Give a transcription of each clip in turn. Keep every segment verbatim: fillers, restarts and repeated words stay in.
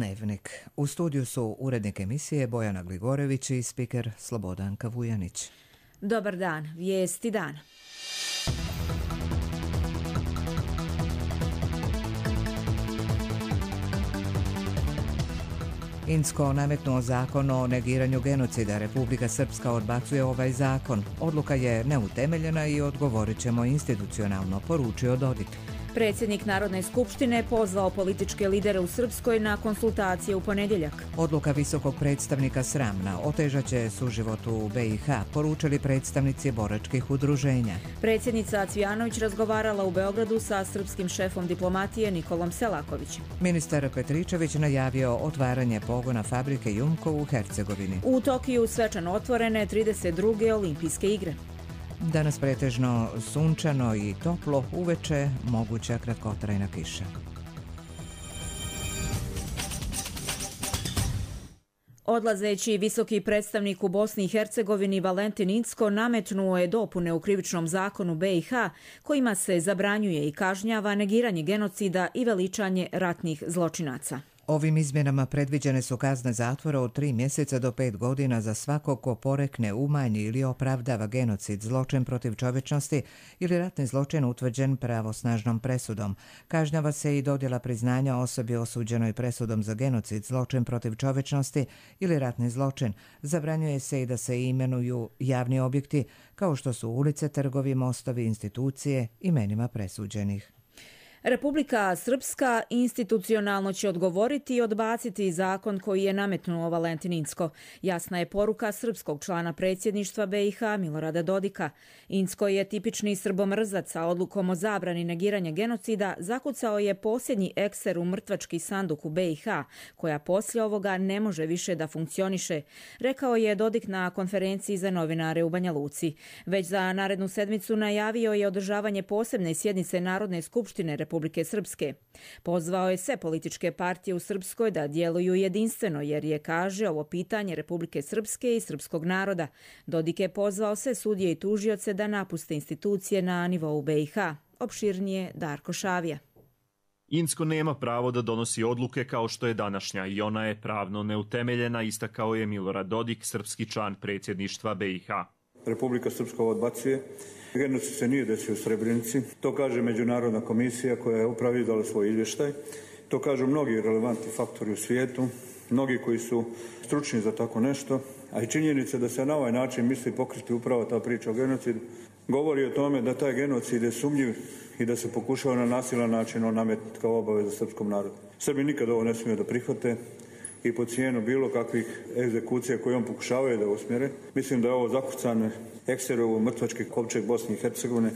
Dnevnik. U studiju su urednik emisije Bojana Gligorević i spiker Slobodanka Vujanić. Dobar dan, vijesti dana. Incko nametnuo zakon o negiranju genocida. Republika Srpska odbacuje ovaj zakon. Odluka je neutemeljena i odgovorit ćemo institucionalno, poručio Dodik. Predsjednik Narodne skupštine pozvao političke lidere u Srpskoj na konsultacije u ponedjeljak. Odluka visokog predstavnika sramna, otežaće suživot u B i H, poručili predstavnici boračkih udruženja. Predsjednica Cvijanović razgovarala u Beogradu sa srpskim šefom diplomatije Nikolom Selakovićem. Ministar Petričević najavio otvaranje pogona fabrike Jumko u Hercegovini. U Tokiju svečano otvorene trideset druge olimpijske igre. Danas pretežno sunčano i toplo, uveče moguća kratkotrajna kiša. Odlazeći visoki predstavnik u Bosni i Hercegovini Valentin Incko nametnuo je dopune u krivičnom zakonu B i H kojima se zabranjuje i kažnjava negiranje genocida i veličanje ratnih zločinaca. Ovim izmjenama predviđene su kazne zatvora od tri mjeseca do pet godina za svakog ko porekne, umanji ili opravdava genocid, zločin protiv čovječnosti ili ratni zločin utvrđen pravosnažnom presudom. Kažnjava se i dodjela priznanja osobi osuđenoj presudom za genocid, zločin protiv čovječnosti ili ratni zločin. Zabranjuje se i da se imenuju javni objekti kao što su ulice, trgovi, mostovi, institucije imenima presuđenih. Republika Srpska institucionalno će odgovoriti i odbaciti zakon koji je nametnuo Valentin Incko. Jasna je poruka srpskog člana predsjedništva B i H Milorada Dodika. Incko je tipični srbomrzac, a odlukom o zabrani negiranja genocida zakucao je posljednji ekser u mrtvački sanduk u B i H, koja poslije ovoga ne može više da funkcioniše, rekao je Dodik na konferenciji za novinare u Banja Luci. Već za narednu sedmicu najavio je održavanje posebne sjednice Narodne skupštine Republike Srpske. Pozvao je sve političke partije u Srpskoj da djeluju jedinstveno jer je, kaže, ovo pitanje Republike Srpske i srpskog naroda. Dodik je pozvao sve sudije i tužioce da napuste institucije na nivou B i H. Opširnije Darko Šavija. Incko nema pravo da donosi odluke kao što je današnja i ona je pravno neutemeljena, istakao je Milorad Dodik, srpski član predsjedništva B i H. Republika Srpska odbacuje. Genocid se nije desio u Srebrenici. To kaže Međunarodna komisija koja je upravo izdala svoj izvještaj. To kažu mnogi relevantni faktori u svijetu, mnogi koji su stručni za tako nešto, a i činjenica da se na ovaj način misli pokriti upravo ta priča o genocidu govori o tome da taj genocid je sumnjiv i da se pokušava na nasilan način on nametiti kao obaveza srpskom narodu. Srbi nikad ovo ne smiju da prihvate i po cijenu bilo kakvih egzekucija koje on pokušavaju da usmjere. Mislim da je ovo zakucane ekserovo mrtvački kovčeg Bosne i Hercegovine,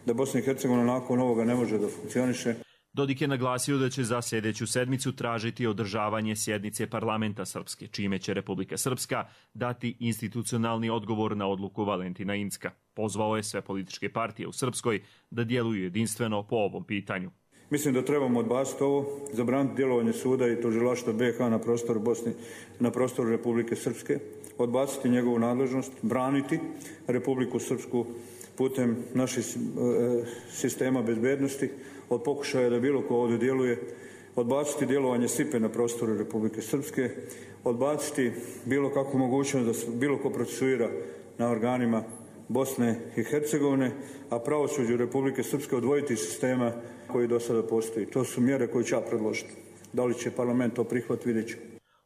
da Bosna i Hercegovina nakon ovoga ne može da funkcioniše. Dodik je naglasio da će za sljedeću sedmicu tražiti održavanje sjednice parlamenta Srpske, čime će Republika Srpska dati institucionalni odgovor na odluku Valentina Incka. Pozvao je sve političke partije u Srpskoj da djeluju jedinstveno po ovom pitanju. Mislim da trebamo odbaciti ovo, zabraniti djelovanje suda i tužilaštva B i H na prostoru Bosne, na prostoru Republike Srpske, odbaciti njegovu nadležnost, braniti Republiku Srpsku putem naših sistema bezbednosti od pokušaja da bilo ko ovdje djeluje, odbaciti djelovanje S I P E na prostoru Republike Srpske, odbaciti bilo kakvu mogućnost da se bilo ko procesuira na organima Bosne i Hercegovine, a pravosuđe Republike Srpske odvojiti iz sistema koji do sada postoji. To su mjere koje ću ja predložiti. Da li će parlament to prihvatiti, vidjet ću.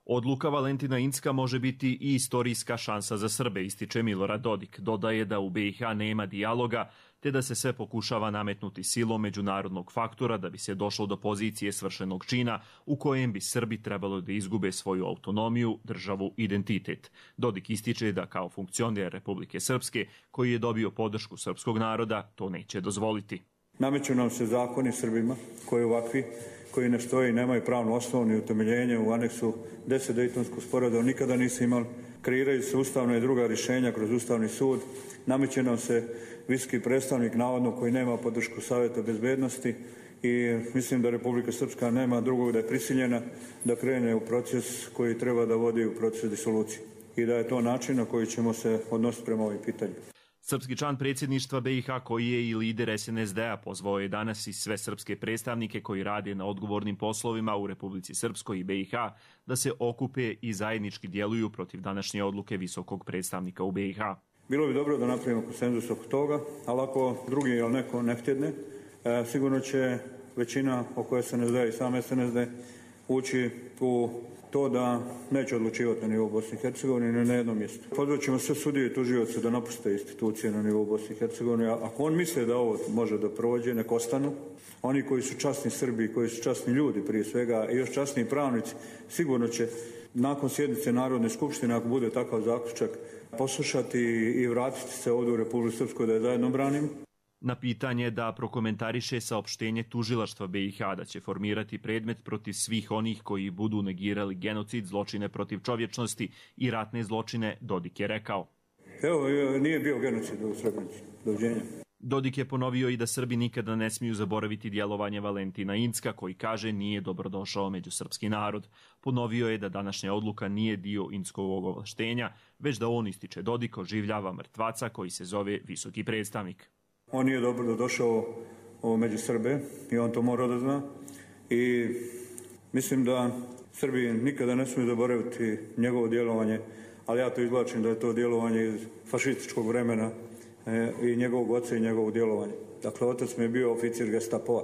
Odluka Valentina Incka može biti i istorijska šansa za Srbe, ističe Milorad Dodik. Dodaje da u B i H nema dijaloga, te da se sve pokušava nametnuti silom međunarodnog faktora da bi se došlo do pozicije svršenog čina u kojem bi Srbi trebalo da izgube svoju autonomiju, državu, identitet. Dodik ističe da kao funkcioner Republike Srpske, koji je dobio podršku srpskog naroda, to neće dozvoliti. Nameću nam se zakoni Srbima koji ovakvi, koji ne stoji i nemaju pravnu osnovu ni utemeljenje u aneksu deset Dejtonskog sporazuma nikada nisu imali. Kreiraju se ustavna i druga rješenja kroz Ustavni sud. Nameće nam se visoki predstavnik navodno koji nema podršku Savjeta bezbednosti i mislim da Republika Srpska nema drugog da je prisiljena da krene u proces koji treba da vodi u proces disolucije i da je to način na koji ćemo se odnositi prema ovim pitanjima. Srpski član predsjedništva B i H koji je i lider S N S D-a pozvao je danas i sve srpske predstavnike koji rade na odgovornim poslovima u Republici Srpskoj i B i H da se okupe i zajednički djeluju protiv današnje odluke visokog predstavnika u B i H. Bilo bi dobro da napravimo konsenzus oko toga, ali ako drugi ili neko ne htjedne, e, sigurno će većina oko S N S D i sam S N S D ući u to da neće odlučivati na nivou Bosne i Hercegovine ni na jednom mjestu. Pozvat ćemo sve sudije i tužioce da napuste institucije na nivou Bosne i Hercegovine. Ako on misle da ovo može da prođe, nek ostanu. Oni koji su časni Srbi, koji su časni ljudi prije svega i još časni pravnici, sigurno će nakon sjednice Narodne skupštine, ako bude takav zaključak, poslušati i vratiti se ovdje u Republiku Srpsku da je zajedno branimo. Na pitanje da prokomentariše saopštenje tužilaštva B i H da će formirati predmet protiv svih onih koji budu negirali genocid, zločine protiv čovječnosti i ratne zločine, Dodik je rekao. Evo, nije bio genocid u Srebrenici. Doviđenja. Dodik je ponovio i da Srbi nikada ne smiju zaboraviti djelovanje Valentina Incka, koji kaže nije dobrodošao među srpski narod. Ponovio je da današnja odluka nije dio Inckovog ovlaštenja, već da on, ističe Dodik, oživljava mrtvaca koji se zove visoki predstavnik. On nije dobro došao među Srbe i on to mora da zna. I mislim da Srbi nikada ne smiju zaboraviti njegovo djelovanje, ali ja to izvlačim da je to djelovanje iz fašističkog vremena i njegovog oca i njegovog djelovanja. Dakle, otac mi je bio oficir Gestapoa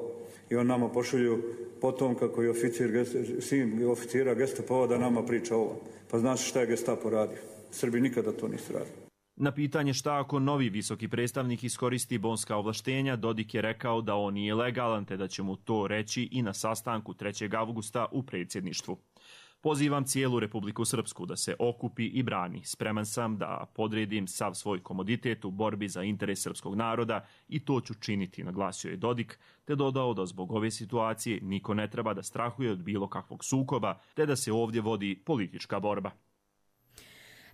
i on nama pošalju potom kako je oficir, sin oficira Gestapoa da nama priča ovo. Pa znaš šta je Gestapo radio? Srbi nikada to nisu radili. Na pitanje šta ako novi visoki predstavnik iskoristi bonska ovlaštenja, Dodik je rekao da on nije legalan te da će mu to reći i na sastanku trećeg avgusta u predsjedništvu. Pozivam cijelu Republiku Srpsku da se okupi i brani. Spreman sam da podredim sav svoj komoditet u borbi za interes srpskog naroda i to ću činiti, naglasio je Dodik, te dodao da zbog ove situacije niko ne treba da strahuje od bilo kakvog sukoba, te da se ovdje vodi politička borba.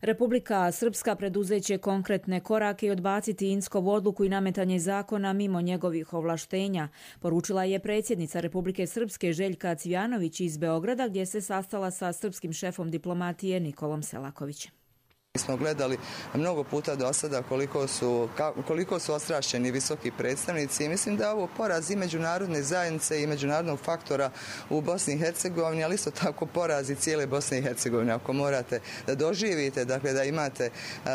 Republika Srpska preduzeće konkretne korake i odbaciti Inckovu odluku i nametanje zakona mimo njegovih ovlaštenja, poručila je predsjednica Republike Srpske Željka Cvijanović iz Beograda, gdje se sastala sa srpskim šefom diplomatije Nikolom Selakovićem. Mi smo gledali mnogo puta do sada koliko su, koliko su ostrašćeni visoki predstavnici i mislim da je ovo poraz i međunarodne zajednice i međunarodnog faktora u Bosni i Hercegovini, ali isto tako poraz i cijele Bosne i Hercegovine. Ako morate da doživite, dakle da imate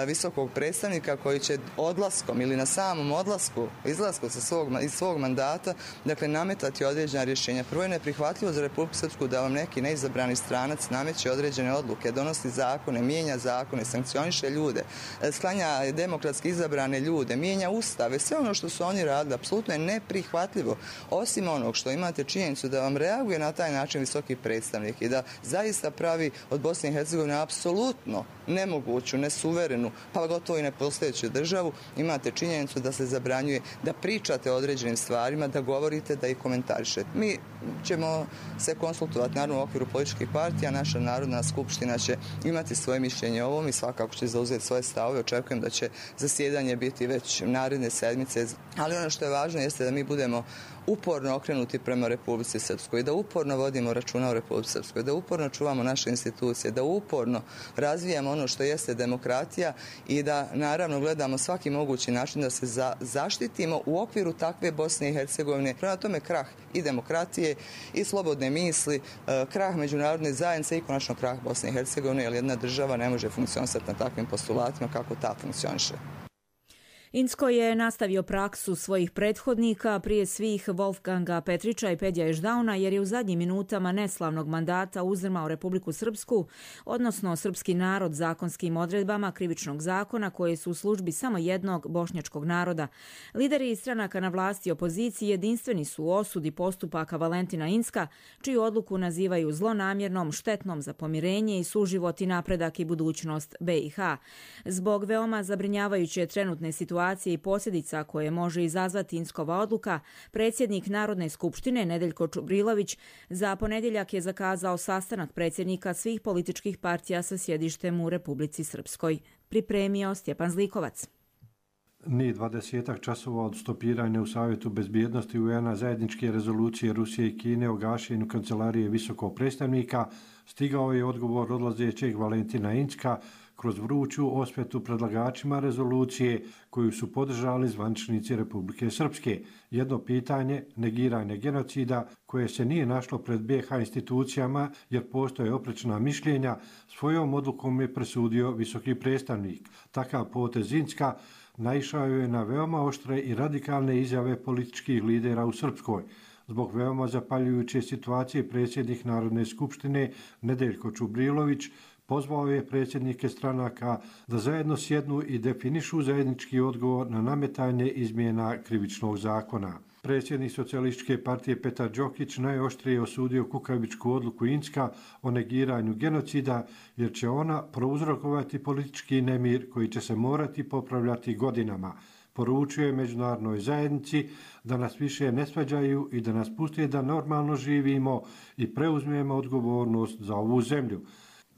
visokog predstavnika koji će odlaskom ili na samom odlasku, izlasku sa svog, iz svog mandata, dakle nametati određena rješenja. Prvo je neprihvatljivo za Republiku Srpsku da vam neki neizabrani stranac nameće određene odluke, donosi zakone, mijenja zakone, sankcioniše ljude, sklanja demokratski izabrane ljude, mijenja ustave, sve ono što su oni radili, apsolutno je neprihvatljivo. Osim onog što imate činjenicu da vam reaguje na taj način visoki predstavnik i da zaista pravi od Bosne i Hercegovine apsolutno nemoguću, nesuverenu, pa gotovo i nepostojeću državu, imate činjenicu da se zabranjuje da pričate o određenim stvarima, da govorite, da ih komentarišete. Mi ćemo se konsultovati naravno u okviru političkih partija, naša Narodna skupština će imati svoje mišljenje o ovom i svakako će zauzeti svoje stavove. Očekujem da će zasjedanje biti već naredne sedmice, ali ono što je važno jeste da mi budemo uporno okrenuti prema Republici Srpskoj, da uporno vodimo računa o Republici Srpskoj, da uporno čuvamo naše institucije, da uporno razvijamo ono što jeste demokratija i da naravno gledamo svaki mogući način da se za, zaštitimo u okviru takve Bosne i Hercegovine. Prema tome krah i demokratije i slobodne misli, krah međunarodne zajednice i konačno krah Bosne i Hercegovine, jer jedna država ne može funkcionisati na takvim postulatima kako ta funkcioniše. Incko je nastavio praksu svojih prethodnika, prije svih Wolfganga Petrića i Pedja Ešdauna, jer je u zadnjim minutama neslavnog mandata uzdrmao Republiku Srpsku, odnosno srpski narod zakonskim odredbama krivičnog zakona koje su u službi samo jednog bošnjačkog naroda. Lideri stranaka na vlasti i opoziciji jedinstveni su u osudi postupaka Valentina Incka, čiju odluku nazivaju zlonamjernom, štetnom za pomirenje i suživot i napredak i budućnost B i H. Zbog veoma zabrinjavajuće trenutne situacije i posljedica koje može izazvati Inckkova odluka, predsjednik Narodne skupštine Nedeljko Čubrilović za ponedjeljak je zakazao sastanak predsjednika svih političkih partija sa sjedištem u Republici Srpskoj. Pripremio Stjepan Zlikovac. Ni dvadesetak časova od stopiranja u Savjetu bezbjednosti U N-a zajedničke rezolucije Rusije i Kine o gašenju kancelarije visokog predstavnika stigao je odgovor odlazećeg Valentina Incka, kroz vruću osvetu predlagačima rezolucije koju su podržali zvaničnici Republike Srpske. Jedno pitanje, negiranje genocida, koje se nije našlo pred B iH institucijama jer postoje oprečna mišljenja, svojom odlukom je presudio visoki predstavnik. Takav potez Incka naišao je na veoma oštre i radikalne izjave političkih lidera u Srpskoj. Zbog veoma zapaljujuće situacije predsjednik Narodne skupštine Nedeljko Čubrilović pozvao je predsjednike stranaka da zajedno sjednu i definišu zajednički odgovor na nametanje izmjena krivičnog zakona. Predsjednik Socijalističke partije Petar Đokić najoštrije osudio kukavičku odluku Incka o negiranju genocida jer će ona prouzrokovati politički nemir koji će se morati popravljati godinama. Poručuje međunarodnoj zajednici da nas više ne svađaju i da nas puste da normalno živimo i preuzmemo odgovornost za ovu zemlju.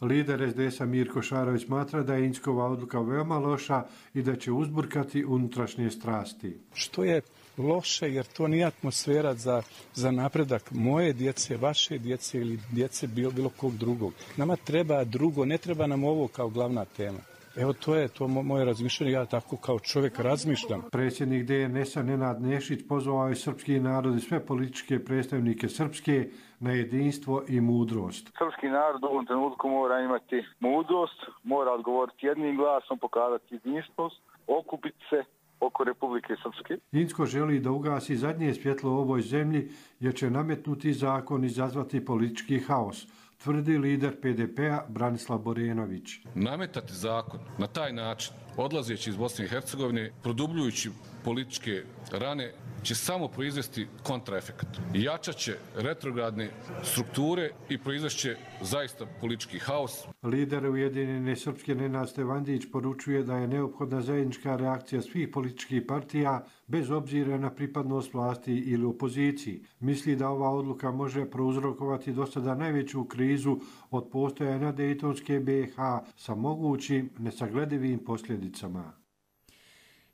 Lider es de esa Mirko Šarović smatra da je Inckova odluka veoma loša i da će uzburkati unutrašnje strasti. Što je loše jer to nije atmosfera za, za napredak moje djece, vaše djece ili djece bilo, bilo kog drugog. Nama treba drugo, ne treba nam ovo kao glavna tema. Evo to je to moje razmišljanje, ja tako kao čovjek razmišljam. Predsjednik de en esa Nenad Nešić pozvao je srpski narod i sve političke predstavnike Srpske na jedinstvo i mudrost. Srpski narod u ovom trenutku mora imati mudrost, mora odgovoriti jednim glasom, pokazati jedinstvost, okupiti se oko Republike Srpske. Incko želi da ugasi zadnje svjetlo u ovoj zemlji jer će nametnuti zakon i izazvati politički haos, tvrdi lider pe de pea Branislav Borenović. Nametati zakon na taj način, odlazeći iz Bosne i Hercegovine, produbljujući političke rane, će samo proizvesti kontraefekat. Jačat će retrogradne strukture i proizvešće zaista politički haos. Lider Ujedinjene Srpske Nenad Stevandić poručuje da je neophodna zajednička reakcija svih političkih partija bez obzira na pripadnost vlasti ili opoziciji. Misli da ova odluka može prouzrokovati do sada najveću krizu od postojanja Dejtonske be iH sa mogućim nesagledivim posljedicama.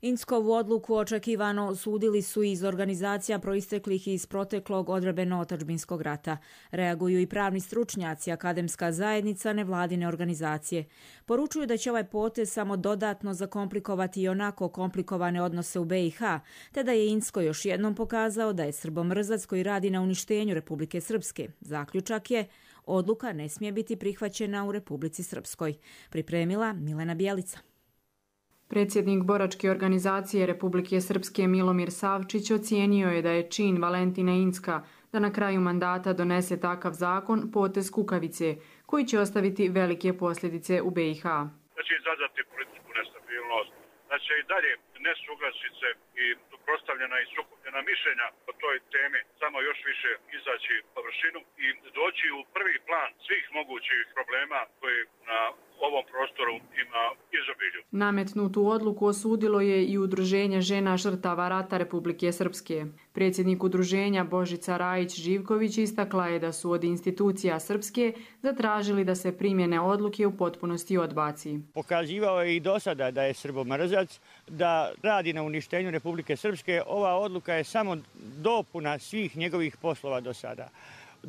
Inckovu odluku očekivano osudili su iz organizacija proisteklih iz proteklog odbrambeno-otadžbinskog rata. Reaguju i pravni stručnjaci, akademska zajednica, nevladine organizacije. Poručuju da će ovaj potez samo dodatno zakomplikovati i onako komplikovane odnose u be iH, te da je Incko još jednom pokazao da je srbomrzac koji radi na uništenju Republike Srpske. Zaključak je, odluka ne smije biti prihvaćena u Republici Srpskoj. Pripremila Milena Bjelica. Predsjednik boračke organizacije Republike Srpske Milomir Savčić ocijenio je da je čin Valentina Incka da na kraju mandata donese takav zakon potez kukavice, koji će ostaviti velike posljedice u be iH. Da će izazvati političku nestabilnost, da će i dalje nesuglasice i suprotstavljena i sukobljena mišljenja o toj temi samo još više izaći površinu i doći u prvi plan svih mogućih problema koji na ovom prostoru ima izobilju. Nametnutu odluku osudilo je i Udruženje žena žrtava rata Republike Srpske. Predsjednik udruženja Božica Rajić-Živković istakla je da su od institucija Srpske zatražili da se primjene odluke u potpunosti odbaci. Pokazivao je i do sada da je srbomrzac, da radi na uništenju Republike Srpske. Ova odluka je samo dopuna svih njegovih poslova do sada.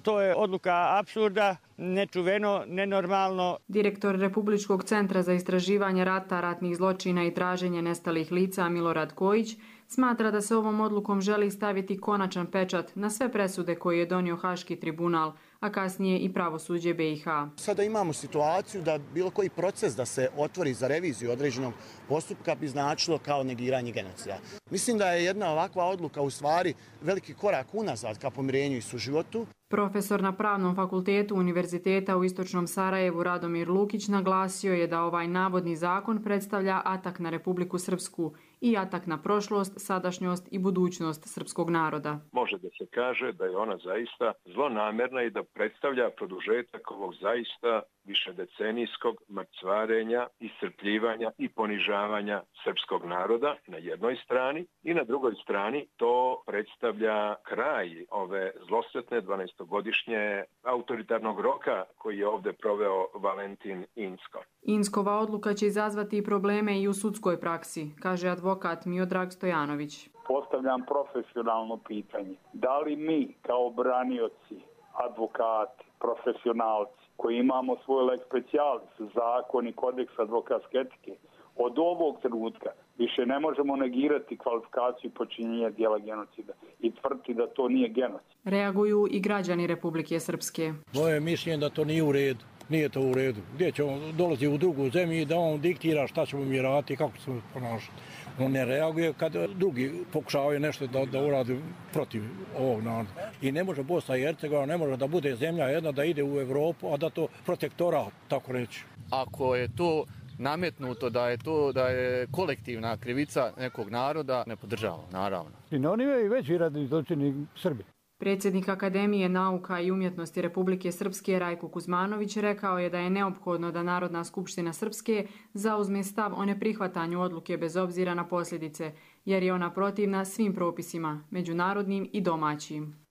To je odluka apsurda, nečuveno, nenormalno. Direktor Republičkog centra za istraživanje rata, ratnih zločina i traženje nestalih lica Milorad Kojić smatra da se ovom odlukom želi staviti konačan pečat na sve presude koje je donio Haški tribunal, a kasnije i pravosuđe be iH. Sada imamo situaciju da bilo koji proces da se otvori za reviziju određenog postupka bi značilo kao negiranje genocida. Mislim da je jedna ovakva odluka u stvari veliki korak unazad ka pomirenju i suživotu. Profesor na Pravnom fakultetu Univerziteta u Istočnom Sarajevu Radomir Lukić naglasio je da ovaj navodni zakon predstavlja atak na Republiku Srpsku i atak na prošlost, sadašnjost i budućnost srpskog naroda. Može da se kaže da je ona zaista zlonamerna i da predstavlja produžetak ovog zaista višedecenijskog mrcvarenja, iscrpljivanja i ponižavanja srpskog naroda na jednoj strani i na drugoj strani to predstavlja kraj ove zlosretne dvanaestogodišnje autoritarnog roka koji je ovdje proveo Valentin Incko. Inckova odluka će izazvati i probleme i u sudskoj praksi, kaže advokat Miodrag Stojanović. Postavljam profesionalno pitanje. Da li mi kao branioci, advokati, profesionalci koji imamo svoj lex specialis, zakon i kodeks advokatske etike, od ovog trenutka više ne možemo negirati kvalifikaciju počinjenja dijela genocida i tvrditi da to nije genocid. Reaguju i građani Republike Srpske. Moje mišljenje da to nije u redu. Nije to u redu. Gdje će on dolazi u drugu zemlju da on diktira šta ćemo mi raditi i kako ćemo se ponašati. On ne reaguje kad drugi pokušavaju nešto da, da uradi protiv ovog naroda. I ne može Bosna i Hercegovina, ne može da bude zemlja jedna da ide u Evropu, a da to protektorat, tako reći. Ako je to nametnuto da je to da je kolektivna krivica nekog naroda, ne podržavamo, naravno. I na oni je veći radni zločini Srbi. Predsjednik Akademije nauka i umjetnosti Republike Srpske Rajko Kuzmanović rekao je da je neophodno da Narodna skupština Srpske zauzme stav o neprihvatanju odluke bez obzira na posljedice, jer je ona protivna svim propisima, međunarodnim i domaćim.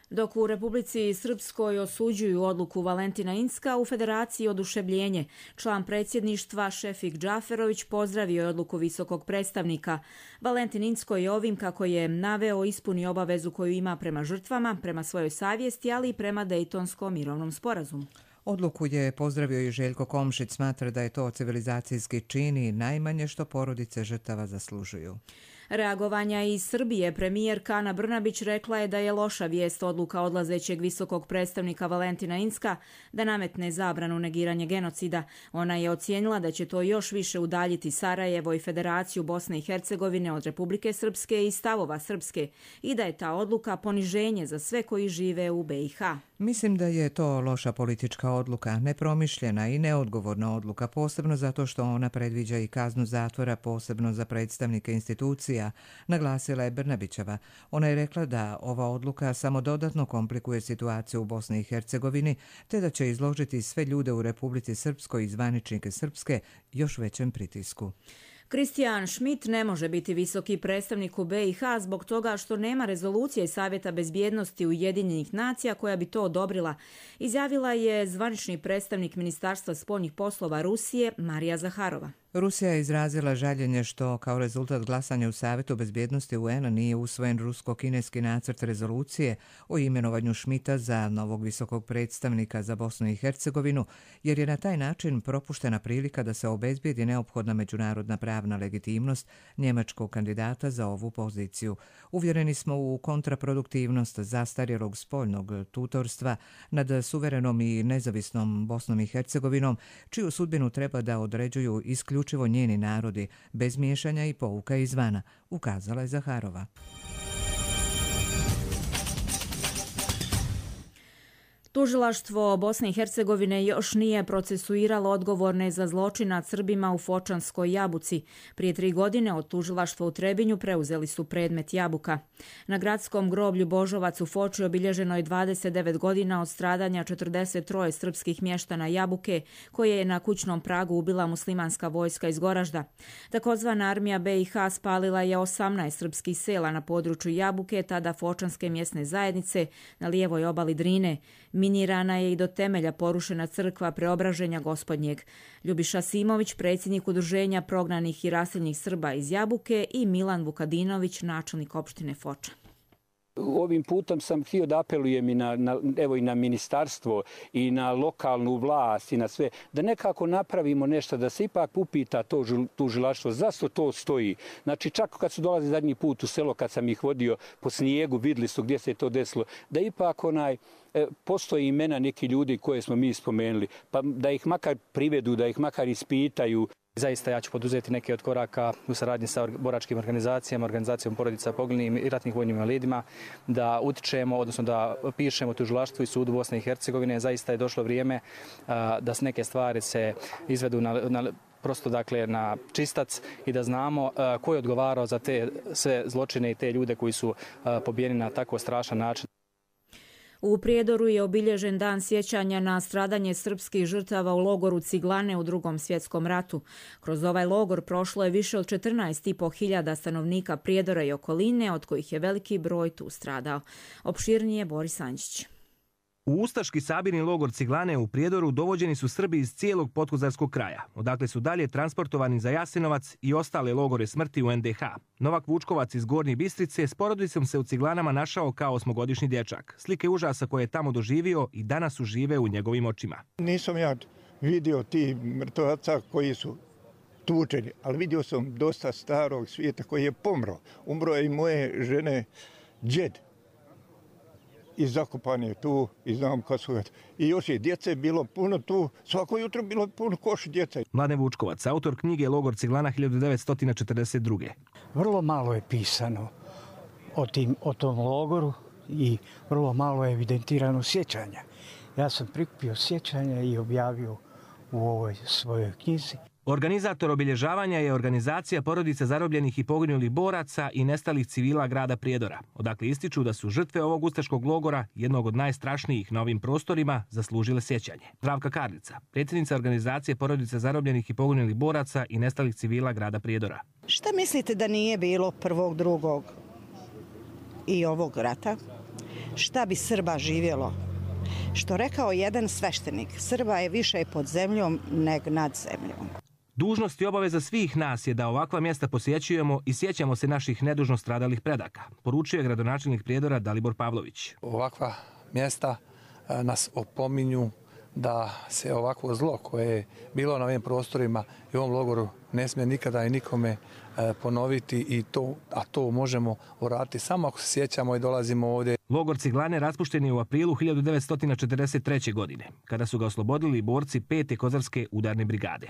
Dok u Republici Srpskoj osuđuju odluku Valentina Incka, u Federaciji oduševljenje. Član predsjedništva Šefik Džaferović pozdravio je odluku visokog predstavnika. Valentin Incko je ovim, kako je naveo, ispuni obavezu koju ima prema žrtvama, prema svojoj savjesti, ali i prema Dejtonskom mirovnom sporazumu. Odluku je pozdravio i Željko Komšić, smatra da je to civilizacijski čin i najmanje što porodice žrtava zaslužuju. Reagovanja iz Srbije premijerka Ana Brnabić rekla je da je loša vijest odluka odlazećeg visokog predstavnika Valentina Incka da nametne zabranu negiranja genocida. Ona je ocijenila da će to još više udaljiti Sarajevo i Federaciju Bosne i Hercegovine od Republike Srpske i stavova Srpske i da je ta odluka poniženje za sve koji žive u B i H. Mislim da je to loša politička odluka, nepromišljena i neodgovorna odluka, posebno zato što ona predviđa i kaznu zatvora, posebno za predstavnike institucija, naglasila je Brnabićeva. Ona je rekla da ova odluka samo dodatno komplikuje situaciju u Bosni i Hercegovini, te da će izložiti sve ljude u Republici Srpskoj i zvaničnike Srpske još većem pritisku. Kristijan Schmidt ne može biti visoki predstavnik u B i H zbog toga što nema rezolucije Savjeta bezbjednosti Ujedinjenih nacija koja bi to odobrila, izjavila je zvanični predstavnik Ministarstva spoljnih poslova Rusije Marija Zaharova. Rusija je izrazila žaljenje što kao rezultat glasanja u Savjetu bezbjednosti U N-a nije usvojen rusko-kineski nacrt rezolucije o imenovanju Schmidta za novog visokog predstavnika za Bosnu i Hercegovinu, jer je na taj način propuštena prilika da se obezbijedi neophodna međunarodna pravna legitimnost njemačkog kandidata za ovu poziciju. Uvjereni smo u kontraproduktivnost zastarjelog spoljnog tutorstva nad suverenom i nezavisnom Bosnom i Hercegovinom, čiju sudbinu treba da određuju isključivo uključivo njeni narodi, bez miješanja i pouka izvana, ukazala je Zaharova. Tužilaštvo Bosne i Hercegovine još nije procesuiralo odgovorne za zločin nad Srbima u Fočanskoj Jabuci. Prije tri godine od tužilaštva u Trebinju preuzeli su predmet Jabuka. Na gradskom groblju Božovac u Foči obilježeno je dvadeset devet godina od stradanja četrdeset troje srpskih mještana Jabuke, koje je na kućnom pragu ubila muslimanska vojska iz Goražda. Takozvana armija B i H spalila je osamnaest srpskih sela na području Jabuke, tada Fočanske mjesne zajednice na lijevoj obali Drine. Minirana je i do temelja porušena crkva Preobraženja Gospodnjeg. Ljubiša Simović, predsjednik udruženja prognanih i raseljenih Srba iz Jabuke, i Milan Vukadinović, načelnik opštine Foča. Ovim putem sam htio da apelujem i na, na, evo i na ministarstvo i na lokalnu vlast i na sve, da nekako napravimo nešto, da se ipak upita to tužilaštvo zašto to stoji. Znači čak kad su dolazili zadnji put u selo, kad sam ih vodio po snijegu, vidjeli su gdje se to desilo, da ipak onaj postoji imena neki ljudi koje smo mi spomenuli, pa da ih makar privedu, da ih makar ispitaju. Zaista ja ću poduzeti neke od koraka u saradnji sa boračkim organizacijama, organizacijom porodica poginulih i ratnih vojnim invalidima, da utičemo, odnosno da pišemo tužilaštvu i sudu Bosne i Hercegovine. Zaista je došlo vrijeme da se neke stvari se izvedu na, na prosto dakle na čistac i da znamo ko je odgovarao za te sve zločine i te ljude koji su pobijeni na tako strašan način. U Prijedoru je obilježen dan sjećanja na stradanje srpskih žrtava u logoru Ciglane u Drugom svjetskom ratu. Kroz ovaj logor prošlo je više od četrnaest i po hiljada stanovnika Prijedora i okoline, od kojih je veliki broj tu stradao. Opširnije Boris Anđić. U ustaški sabirni logor Ciglane u Prijedoru dovođeni su Srbi iz cijelog podkozarskog kraja, odakle su dalje transportovani za Jasenovac i ostale logore smrti u en de ha. Novak Vučkovac iz Gornje Bistrice s porodicom se u Ciglanama našao kao osmogodišnji dječak. Slike užasa koje je tamo doživio i danas užive u njegovim očima. Nisam ja vidio ti mrtvaca koji su tučeni, ali vidio sam dosta starog svijeta koji je pomro. Umro je i moje žene džed. I zakopan je tu i znam kad su... I još je djece bilo puno tu, svako jutro bilo puno koš djece. Mladen Vučkovac, autor knjige Logor Ciglana hiljadu devetsto četrdeset druge. Vrlo malo je pisano o, tim, o tom logoru i vrlo malo je evidentirano sjećanja. Ja sam prikupio sjećanja i objavio u ovoj svojoj knjizi. Organizator obilježavanja je organizacija porodice zarobljenih i poginulih boraca i nestalih civila grada Prijedora, odakle ističu da su žrtve ovog ustaškog logora, jednog od najstrašnijih na ovim prostorima, zaslužile sjećanje. Zdravka Karlica, predsjednica organizacije porodice zarobljenih i poginulih boraca i nestalih civila grada Prijedora. Šta mislite da nije bilo prvog, drugog i ovog rata? Šta bi Srba živjelo? Što rekao jedan sveštenik, Srba je više pod zemljom nego nad zemljom. Dužnost i obaveza svih nas je da ovakva mjesta posjećujemo i sjećamo se naših nedužno stradalih predaka, poručio je gradonačelnik Prijedora Dalibor Pavlović. Ovakva mjesta nas opominju da se ovakvo zlo koje je bilo na ovim prostorima i u ovom logoru ne smije nikada i nikome ponoviti, i to, a to možemo uraditi samo ako se sjećamo i dolazimo ovdje. Logor Ciglane raspušten je u aprilu hiljadu devetsto četrdeset treće. godine, kada su ga oslobodili borci pete kozarske udarne brigade.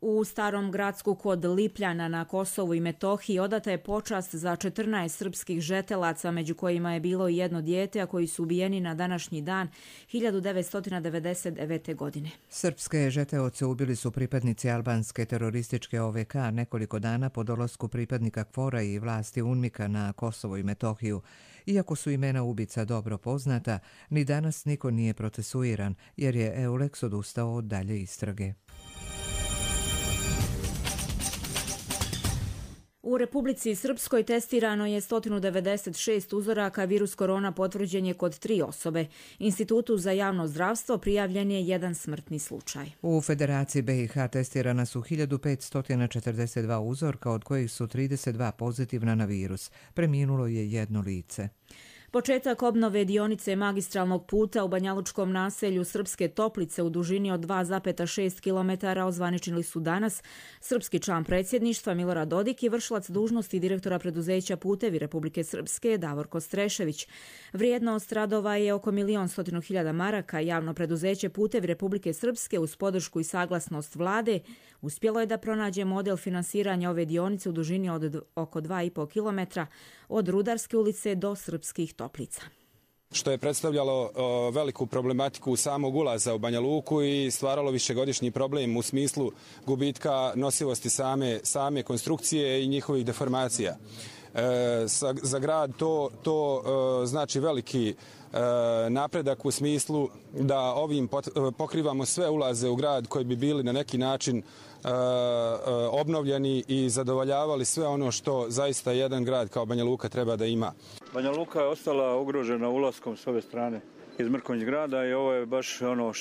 U Starom Gradsku kod Lipljana na Kosovu i Metohiji odata je počast za četrnaest srpskih žetelaca, među kojima je bilo i jedno dijete, a koji su ubijeni na današnji dan hiljadu devetsto devedeset devete. godine. Srpske žeteoce ubili su pripadnici albanske terorističke o ve ka nekoliko dana po dolasku pripadnika KFOR-a i vlasti UNMIK-a na Kosovo i Metohiju. Iako su imena ubica dobro poznata, ni danas niko nije procesuiran, jer je EULEX odustao od dalje istrage. U Republici Srpskoj testirano je sto devedeset šest uzoraka, virus korona potvrđen je kod tri osobe. Institutu za javno zdravstvo prijavljen je jedan smrtni slučaj. U Federaciji be i ha testirana su hiljadu petsto četrdeset dva uzorka, od kojih su trideset dva pozitivna na virus. Preminulo je jedno lice. Početak obnove dionice magistralnog puta u banjalučkom naselju Srpske Toplice u dužini od dva zarez šest kilometara ozvaničili su danas srpski član predsjedništva Milorad Dodik i vršilac dužnosti direktora preduzeća Putevi Republike Srpske Davorko Strešević. Vrijednost radova je oko milion stotinu hiljada maraka. Javno preduzeće Putevi Republike Srpske uz podršku i saglasnost vlade uspjelo je da pronađe model finansiranja ove dionice u dužini od oko dva i po kilometra od Rudarske ulice do Srpskih Toplica. Što je predstavljalo o, veliku problematiku samog ulaza u Banja Luku i stvaralo višegodišnji problem u smislu gubitka nosivosti same, same konstrukcije i njihovih deformacija. E, sa, za grad to, to e, znači veliki e, napredak u smislu da ovim pot, pokrivamo sve ulaze u grad koji bi bili na neki način e, obnovljeni i zadovoljavali sve ono što zaista jedan grad kao Banja Luka treba da ima. Banja Luka je ostala ugrožena ulaskom s ove strane iz Mrkonjić grada i ovo je baš ono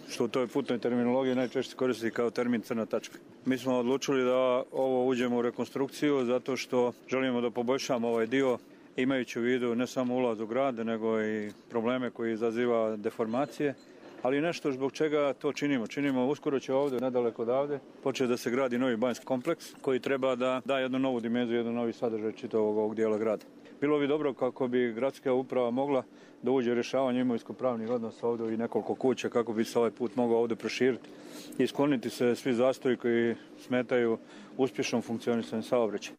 što u toj putnoj terminologiji najčešće koristi kao termin crna tačka. Mi smo odlučili da ovo uđemo u rekonstrukciju zato što želimo da poboljšamo ovaj dio, imajući u vidu ne samo ulaz u grad, nego i probleme koji izaziva deformacije, ali nešto zbog čega to činimo. Činimo uskoro će ovdje, nedaleko odavde, početi da se gradi novi banjski kompleks koji treba da da jednu novu dimenziju, jednu novi sadržaj čitavog ovog dijela grada. Bilo bi dobro kako bi gradska uprava mogla da uđe u rješavanje imovinsko-pravnih odnosa ovdje i nekoliko kuća kako bi se ovaj put mogao ovdje proširiti i skloniti se svi zastoji koji smetaju uspješnom funkcionisanju saobraćaja.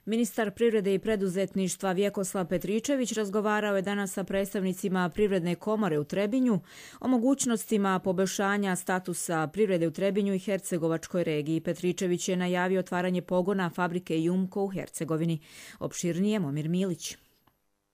Ministar privrede i preduzetništva Vjekoslav Petričević razgovarao je danas sa predstavnicima Privredne komore u Trebinju o mogućnostima poboljšanja statusa privrede u Trebinju i Hercegovačkoj regiji. Petričević je najavio otvaranje pogona fabrike Jumko u Hercegovini. Opširnije Momir Milić.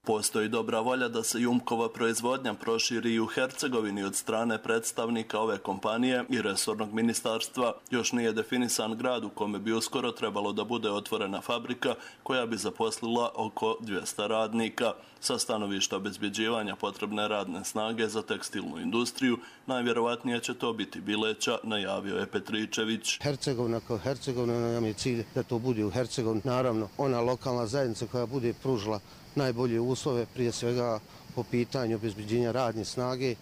Postoji dobra volja da se Jumkova proizvodnja proširi i u Hercegovini od strane predstavnika ove kompanije i resornog ministarstva. Još nije definisan grad u kome bi uskoro trebalo da bude otvorena fabrika koja bi zaposlila oko dvjesto radnika. Sa stanovišta obezbjeđivanja potrebne radne snage za tekstilnu industriju, najvjerovatnije će to biti Bileća, najavio je Petričević. Hercegovina kao Hercegovina, nam je cilj da to bude u Hercegovini. Naravno, ona lokalna zajednica koja bude pružila najbolje uslove, prije svega po pitanju obezbeđenja radne snage,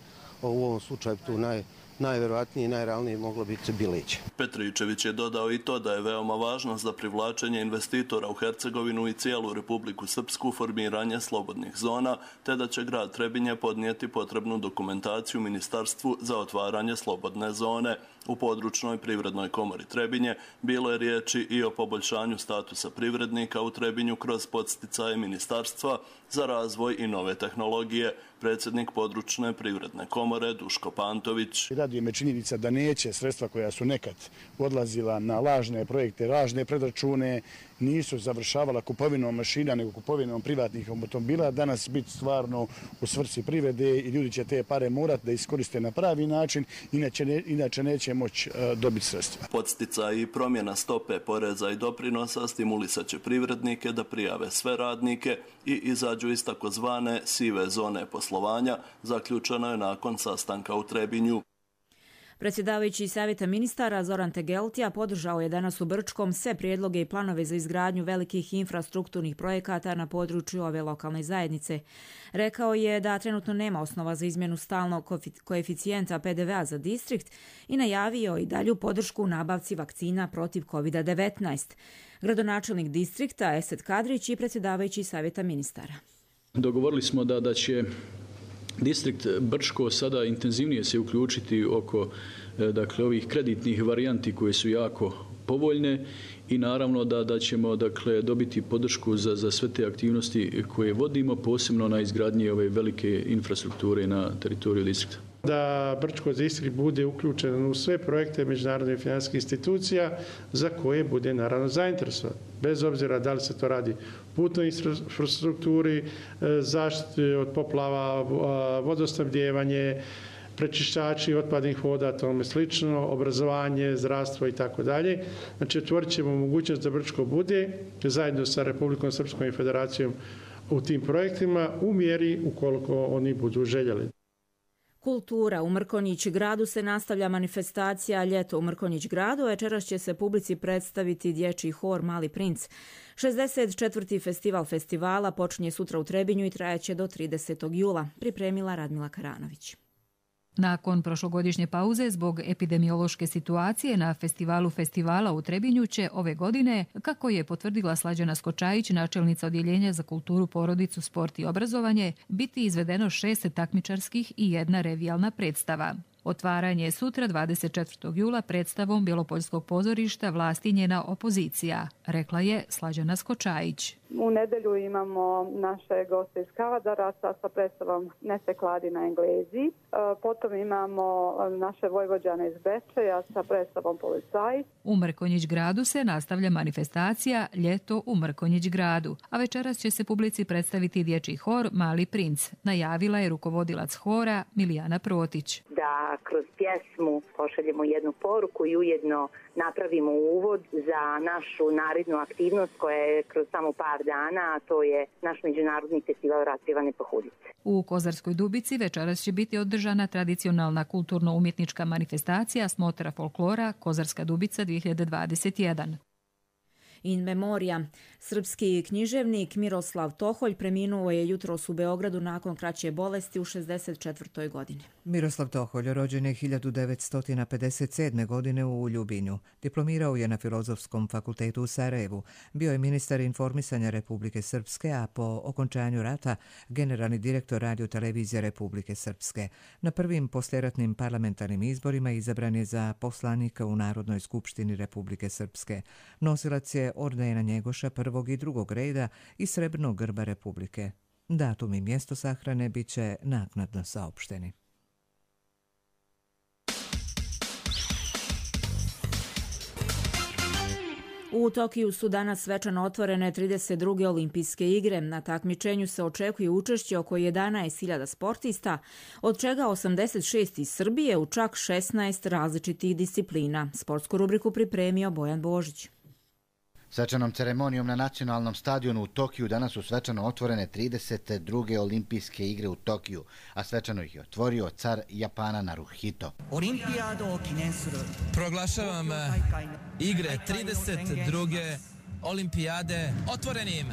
u ovom slučaju tu naj, najvjerovatnije i najrealnije moglo biti Bileće. Petričević je dodao i to da je veoma važno za privlačenje investitora u Hercegovinu i cijelu Republiku Srpsku formiranje slobodnih zona, te da će grad Trebinje podnijeti potrebnu dokumentaciju ministarstvu za otvaranje slobodne zone. U područnoj privrednoj komori Trebinje bilo je riječi i o poboljšanju statusa privrednika u Trebinju kroz podsticaje ministarstva za razvoj i nove tehnologije. Predsjednik područne privredne komore Duško Pantović. Raduje me činjenica da neće sredstva koja su nekad odlazila na lažne projekte, lažne predračune, nisu završavala kupovinom mašina nego kupovinom privatnih automobila, danas biti stvarno u svrsi privrede i ljudi će te pare morati da iskoriste na pravi način, inače, ne, inače neće moći uh, dobiti sredstva. Podsticaj i promjena stope poreza i doprinosa stimulisat će privrednike da prijave sve radnike i izađu iz takozvane sive zone poslovanja, zaključeno je nakon sastanka u Trebinju. Predsjedavajući Savjeta ministara Zoran Tegeltija podržao je danas u Brčkom sve prijedloge i planove za izgradnju velikih infrastrukturnih projekata na području ove lokalne zajednice. Rekao je da trenutno nema osnova za izmjenu stalnog koeficijenta P D V-a za distrikt i najavio i dalju podršku u nabavci vakcina protiv kovid devetnaest. Gradonačelnik distrikta Esed Kadrić i predsjedavajući Savjeta ministara. Dogovorili smo da, da će distrikt Brčko sada intenzivnije se uključiti oko dakle, ovih kreditnih varijanti koje su jako povoljne i naravno da, da ćemo dakle, dobiti podršku za, za sve te aktivnosti koje vodimo, posebno na izgradnji ove velike infrastrukture na teritoriju distrikta. Da Brčko distrikt bude uključen u sve projekte međunarodnih financijskih institucija za koje bude naravno zainteresovan. Bez obzira da li se to radi putnoj infrastrukturi, zaštiti od poplava, vodosnabdijevanje, prečišćači otpadnih voda, tome slično, obrazovanje, zdravstvo i tako dalje. Znači, otvorit ćemo mogućnost da Brčko bude zajedno sa Republikom Srpskom i Federacijom u tim projektima u mjeri ukoliko oni budu željeli. Kultura. U Mrkonjić gradu se nastavlja manifestacija Ljeto u Mrkonjić gradu. Večeras će se publici predstaviti dječji hor Mali princ. šezdeset četvrti festival festivala počinje sutra u Trebinju i trajaće do tridesetog jula. Pripremila Radmila Karanović. Nakon prošlogodišnje pauze zbog epidemiološke situacije na festivalu festivala u Trebinju će ove godine, kako je potvrdila Slađana Skočajić, načelnica odjeljenja za kulturu, porodicu, sport i obrazovanje, biti izvedeno šest takmičarskih i jedna revijalna predstava. Otvaranje je sutra dvadeset četvrtog jula predstavom Bjelopoljskog pozorišta Vlast i njena opozicija, rekla je Slađana Skočajić. U nedelju imamo naše goste iz Kavadaraca sa predstavom Nese kladi na Englezi. Potom imamo naše Vojvođane iz Bečeja sa predstavom Policaji. U Mrkonjić gradu se nastavlja manifestacija Ljeto u Mrkonjić gradu, a večeras će se publici predstaviti dječji hor Mali princ, najavila je rukovodilac hora Milijana Protić. Da kroz pjesmu pošaljemo jednu poruku i ujedno napravimo uvod za našu narednu aktivnost koja je kroz samo par dana, a to je naš međunarodni festival raspjevane pohudice. U Kozarskoj Dubici večeras će biti održana tradicionalna kulturno-umjetnička manifestacija Smotra folklora Kozarska Dubica dvije hiljade dvadeset jedan. In memoria. Srpski književnik Miroslav Toholj preminuo je jutros u Beogradu nakon kraće bolesti u šezdeset četvrtoj godini. Miroslav Toholj rođen je hiljadu devetsto pedeset sedme. godine u Ljubinju. Diplomirao je na Filozofskom fakultetu u Sarajevu. Bio je ministar informisanja Republike Srpske, a po okončanju rata generalni direktor radio-televizije Republike Srpske. Na prvim poslijeratnim parlamentarnim izborima izabran je za poslanika u Narodnoj skupštini Republike Srpske. Nosilac je ordena Njegoša prvog i drugog reda i srebrnog grba Republike. Datum i mjesto sahrane bit će naknadno saopšteni. U Tokiju su danas svečano otvorene trideset druge olimpijske igre. Na takmičenju se očekuje učešće oko jedanaest hiljada sportista, od čega osamdeset šest iz Srbije u čak šesnaest različitih disciplina. Sportsku rubriku pripremio Bojan Božić. Svečanom ceremonijom na nacionalnom stadionu u Tokiju danas su svečano otvorene trideset druge olimpijske igre u Tokiju, a svečano ih je otvorio car Japana Naruhito. Proglašavam igre trideset druge olimpijade otvorenim.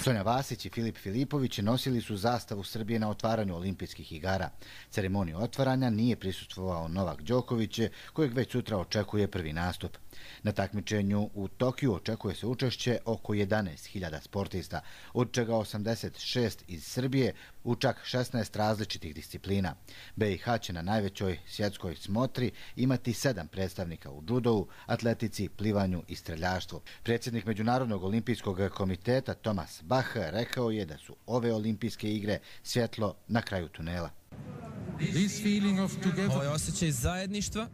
Sonja Vasić i Filip Filipović nosili su zastavu Srbije na otvaranju olimpijskih igara. Ceremoniju otvaranja nije prisustvovao Novak Đoković, kojeg već sutra očekuje prvi nastup. Na takmičenju u Tokiju očekuje se učešće oko jedanaest hiljada sportista, od čega osamdeset šest iz Srbije u čak šesnaest različitih disciplina. B i H će na najvećoj svjetskoj smotri imati sedam predstavnika u džudovu, atletici, plivanju i streljaštvu. Predsjednik Međunarodnog olimpijskog komiteta Thomas Bach rekao je da su ove olimpijske igre svjetlo na kraju tunela. Ovo je osjećaj zajedništva.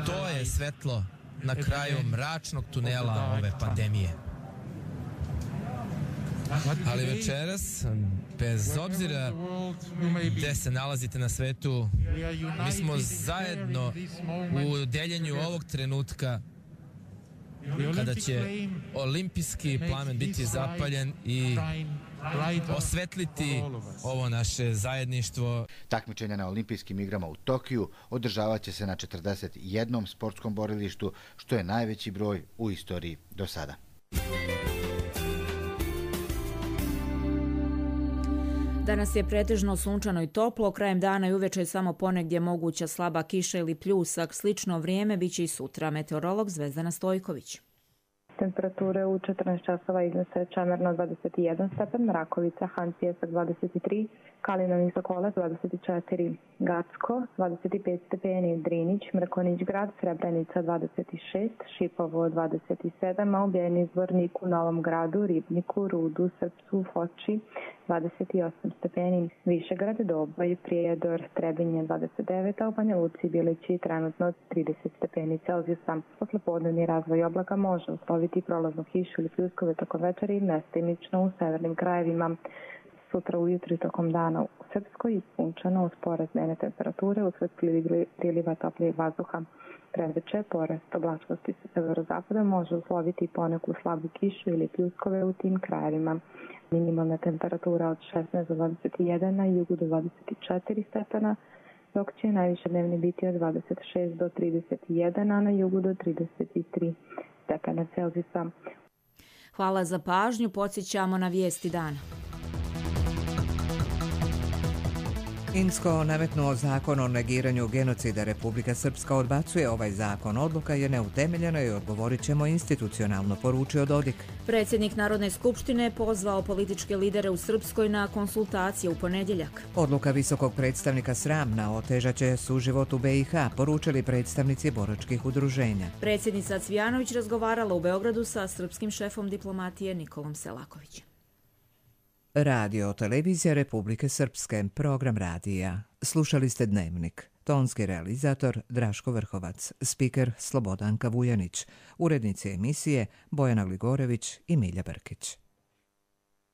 To je svetlo na kraju mračnog tunela ove pandemije. Ali večeras, bez obzira gde se nalazite na svetu, mi smo zajedno u deljenju ovog trenutka kada će olimpijski plamen biti zapaljen i osvetliti ovo naše zajedništvo. Takmičenja na olimpijskim igrama u Tokiju održavat će se na četrdeset jednom sportskom borilištu, što je najveći broj u istoriji do sada. Danas je pretežno sunčano i toplo, krajem dana i uveče je samo ponegdje moguća slaba kiša ili pljusak. Slično vrijeme biće i sutra. Meteorolog Zvezdana Stojković. Temperature u četrnaest časova iznose Čemerno dvadeset jedan stepen, Mrakovica, Han Pjesak dvadeset tri, Kalinović Sokolac dvadeset četiri, Gacko dvadeset pet stepeni, Drinić, Mrkonić grad, Srebrenica dvadeset šest, Šipovo dvadeset sedam, a u Bijeni Zvorniku, Novom gradu, Ribniku, Rudu, Srpcu, Foči dvadeset osam stepeni, Višegrad, Doboj, Prijedor, Trebinje dvadeset devet, a u Banja Luci, Bilići trenutno trideset stepeni Celzijusa. Poslepodnevni razvoj oblaka može usloviti prolaznu kišu ili pljuskove tokom večera i mestimično u severnim krajevima. Sutra ujutro i tokom dana u Srpskoj sunčano uz porast dnevne temperature usled priliva toplijeg vazduha. Predveče porast oblačnosti sa severozapada može usloviti poneku slabu kišu ili pljuskove u tim krajevima. Minimalna temperatura od šesnaest do dvadeset jedan, na jugu do dvadeset četiri stepena, dok će najviše dnevni biti od dvadeset šest do trideset jedan, a na jugu do trideset tri stepena Celzijusa. Hvala za pažnju, podsjećamo na vijesti dana. Insko nametnuo zakon o negiranju genocida. Republika Srpska odbacuje ovaj zakon. Odluka je neutemeljena i odgovorit ćemo institucionalno, poručio Dodik. Predsjednik Narodne skupštine pozvao političke lidere u Srpskoj na konsultacije u ponedjeljak. Odluka visokog predstavnika sramna, otežat će suživot u B i H, poručili predstavnici boračkih udruženja. Predsjednica Cvijanović razgovarala u Beogradu sa srpskim šefom diplomatije Nikolom Selakovićem. Radio televizija Republike Srpske, program radija. Slušali ste Dnevnik. Tonski realizator Draško Vrhovac, spiker Slobodanka Vujanić, urednici emisije Bojana Gligorević i Milja Brkić.